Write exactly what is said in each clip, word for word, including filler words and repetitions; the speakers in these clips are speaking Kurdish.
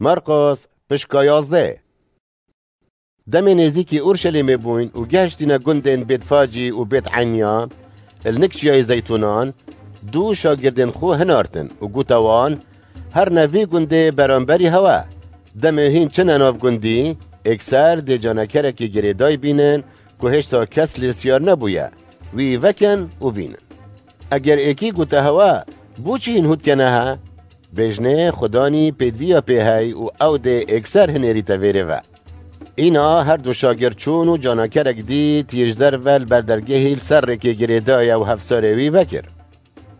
Marqos, pişka yazdeh. Demê nêzîkî Urşelîmê bûyn û gehiştîne gundên Bêtfacî û Bêt Enya, li nik çiyayê Zeytûnan, dû şagirdên xwe hinartin û gote wan, Herine vî gundê beramberî hewe. Demê hîn çine nav gundî, êkser dê canekerekî girêdayî bînin ku hêşta kes lê siyar nebûye, wî vekin û bînin. Eger êkî gote hewe, Bo çi hîn hût kene he? Bêjnê, Xudanî pêdiviya pê hey û ew dê êkser hinêrîte vêrê ve. Îna her du şagird çûn û canakerek dît yê ji derve li ber dergehî li ser rêkê girêdaye û hevsarê wî vekir.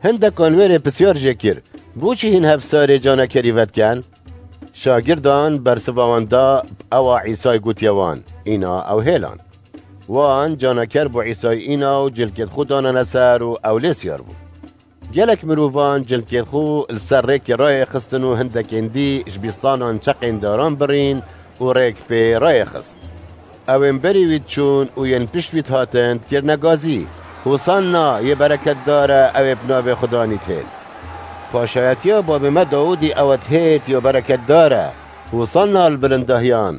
Hindekan wêrê pisyar jê kir, Bo çi hîn hevsarê canekerî vedikin? Şagirdan bersiva wan da, Ewa Îsay gotiye wan, îna ew hêlan. Wan caneker bo Îsay îna û cilkêt xwe danane ser û ew lê siyar bû. Gelek mirovan cilkêt xwe li ser rêkê rayê xistin û hindekên dî ji bîstanan çeqên daran birîn û rêk pê rayê xist. Ewên berî wî diçûn û yên pişt wî dihatin dikirine gazî, Hosanna, yê bereketdar e ew ê bi navê Xudanî dihêt. Paşayetiya babê me Dawûdî ew e dihêt ya bereketdar e, Hosanna li bilindahiyan.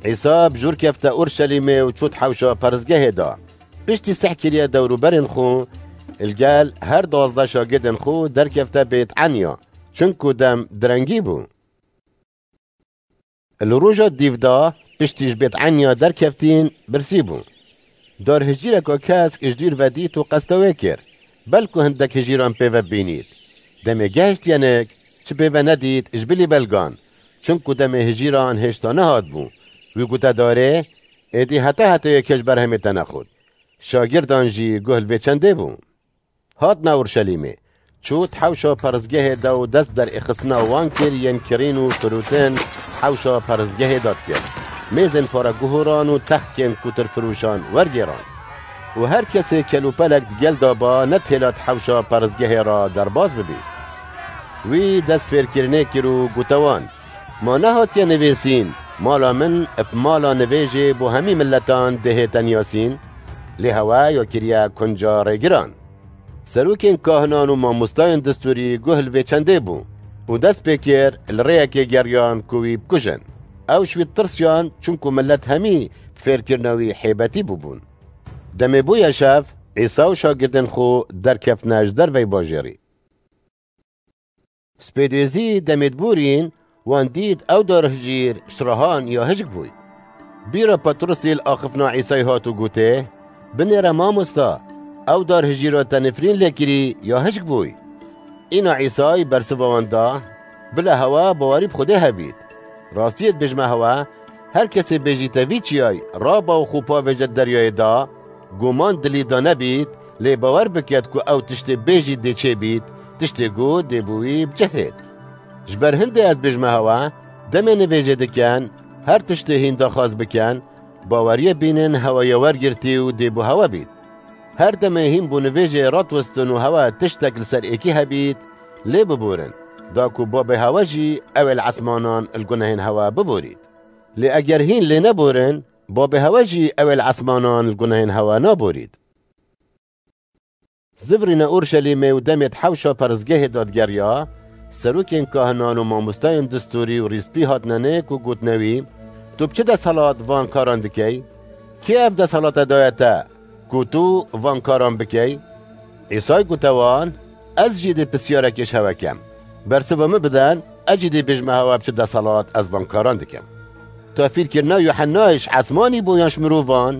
Îsa bi jûr kefte Urşelîmê û çû di hewşa peristgehê de. Piştî sih kiriye dewrûberên xwe, li gel her duwazdeh şagirdên xwe derkefte Bêt Enya, çinku dem direngî bû. Li roja dîv de piştî ji Bêt Enya derkeftîn, birsî bû. Dar hijîreka kesk ji dûr ve dît û qesta wê kir. Belku hindek hijîran pê ve bibînît. Demê gehiştiye nik, çi pê ve nedît, ji bilî belgan. Çinku demê hijîran hêşta nehat bû. Wî gote darê, Êdî heta heta yê kes ji berhemê te nexwit. Şagirdan jî guh li vê çendê bû. Hatine Urşelîmê. Çû di hewşa peristgehê de û dest derêxistina wan kir yên kirîn û firotin hewşa peristgehê de dikir. Mêzên pareguhoran û textkên kutirfiroşan wergêran. Û her kesê kelûpelek di gel de ba nedihêla di hewşa peristgehê re derbas bibî. Wî dest fêrkirinê kir û gote wan, Ma nehatiye nivîsîn, Mala min bi mala nivêjê bo hemî miletan dihête niyasîn? Lê hewe ya kiriye kunca rêgiran. Serokên kahinan û mamostayên distûrî guh li vê çendê bû û dest pê kir li rêyekê geriyan ku wî bikujin. Ew ji wî tirsiyan, çunku milet hemî bi fêrkirina wî hêbetî bûbûn. Demê bûye şev, Îsa û şagirdên xwe derkeftine ji derveyî bajêrî. Spêdêzî demê diborîn, wan dît ew darhijîr şirahan ya hişk bûy. Bîra Petrusî li axiftina Îsayî hat û gotê, Binêre mamosta, ew darhijîra te nifrîn lê kirî ya hişk bûy. Îna Îsayî bersiva wan da, Bila hewe bawerî bi Xwedê hebît. Rastiyê dibêjime hewe, her kesê bêjîte vî çiyayî, Raba û xwe pavêje deryayê da, Guman dilî de nebît, lê bawer biket ku ew tiştê bêjî dê çêbît, tiştê ku dê bi wî bicihêt. Ji ber hindê ez bêjime hewe, demê nivêjê dikin, her tiştê hîn daxwaz bikin, baweriyê bînin hewe ya wergirtî û dê bo hewe bît. Her demê hîn bo nivêjê radiwestin û hewe tiştek li ser êkî hebît, lê biborin, da ku babê hewe jî ew ê li esmanan li gunehên hewe biborît. Lê eger hîn lê neborin, babê hewe jî ew ê li esmanan li gunehên hewe naborît. Zivrîne Urşelîmê û demê di hewşa peristgehê de digeriya, serokên kahinan û mamostayên distûrî û rîspî hatine nik û gotine wî, Tu bi çi desthelat van karan dikey? Kê ev desthela te daye te, ku tu van karan bikey? Îsay gote wan, Ez jî dê pisyarekê ji hewe kem. Bersiva min bidin, ez jî dê bêjime hewe bi çi desthelat ez van karan dikim. Tafîrkirina Yuhennayê ji esmanî bû yan ji mirovan?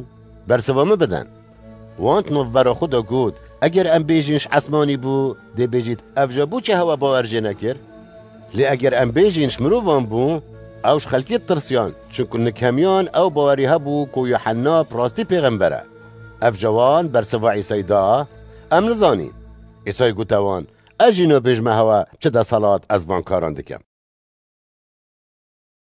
Bersiva min bidin. Wan di navbera xwe de got, Eger em bêjin ji esmanî bû, dê bêjît, Ev ja bo çi hewe bawer jê nekir? Lê eger em bêjin ji mirovan bû, ew ji xelkê tirsiyan, çunku nik hemiyan ew bawerî hebû ku Yuhenna bi rastî pêxember e. Ev ja wan bersiva Îsayî da, Em nizanîn. Îsayî gote wan, Ez jî nabêjime hewe çi desthelat ez van karan dikim.